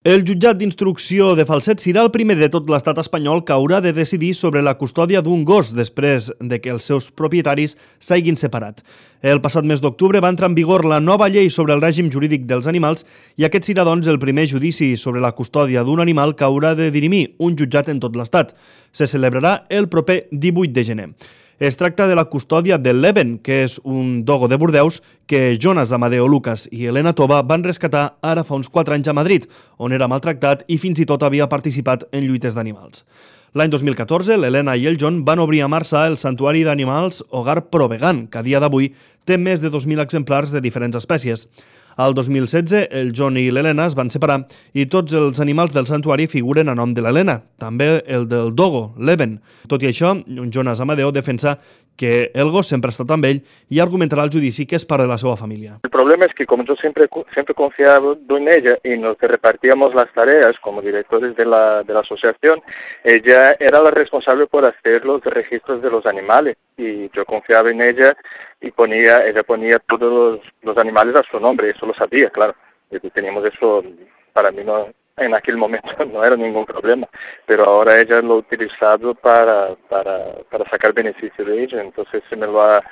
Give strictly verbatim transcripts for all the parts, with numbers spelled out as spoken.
El jutjat d'instrucció de Falset serà el primer de tot l'estat espanyol que haurà de decidir sobre la custòdia d'un gos després de que els seus propietaris s'hagin separat. El passat mes d'octubre va entrar en vigor la nova llei sobre el règim jurídic dels animals i aquest serà, doncs, el primer judici sobre la custòdia d'un animal que haurà de dirimir un jutjat en tot l'estat. Se celebrarà el proper divuit de gener. Es tracta de la custòdia de l'Eben, que és un dogo de Bordeus que Jonas Amadeo Lucas i Elena Tova van rescatar ara fa uns quatre anys a Madrid, on era maltractat i fins i tot havia participat en lluites d'animals. L'any dos mil catorze, l'Elena i el John van obrir a Marçà el santuari d'animals Hogar Provegan, que a dia d'avui té més de dos mil exemplars de diferents espècies. Al dos mil setze, el John i l'Elena es van separar i tots els animals del santuari figuren a nom de l'Elena, també el del dogo, l'Eben. Tot i això, Jonas Amadeo defensa que el gos sempre ha estat amb ell i argumentarà al judici que és part de la seva família. El problema es que como yo siempre, siempre confiaba en ella y nos repartíamos las tareas como directores de la, de la asociación, ella era la responsable por hacer los registros de los animales y yo confiaba en ella y ponía, ella ponía todos los, los animales a su nombre, eso lo sabía, claro, y teníamos eso, para mí no, en aquel momento no era ningún problema, pero ahora ella lo ha utilizado para, para, para sacar beneficio de ella, entonces se me lo ha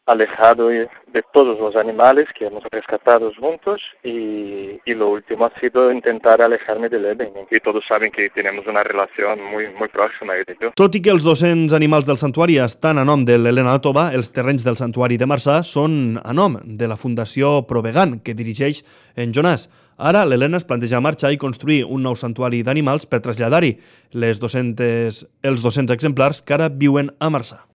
alejado de todos los animales que hemos rescatado juntos y, y lo último ha sido intentar alejarme del Eben, y todos saben que tenemos una relación muy, muy próxima ella y yo. Tot i que els dos-cents animals del santuari estan a nom de l'Elena Tova, els terrenys del santuari de Marçà són a nom de la Fundació Provegan, que dirigeix en Jonas. Ara l'Elena es planteja marxar i construir un nou santuari d'animals per traslladar-hi les dos-cents, els dos-cents exemplars que ara viuen a Marçà.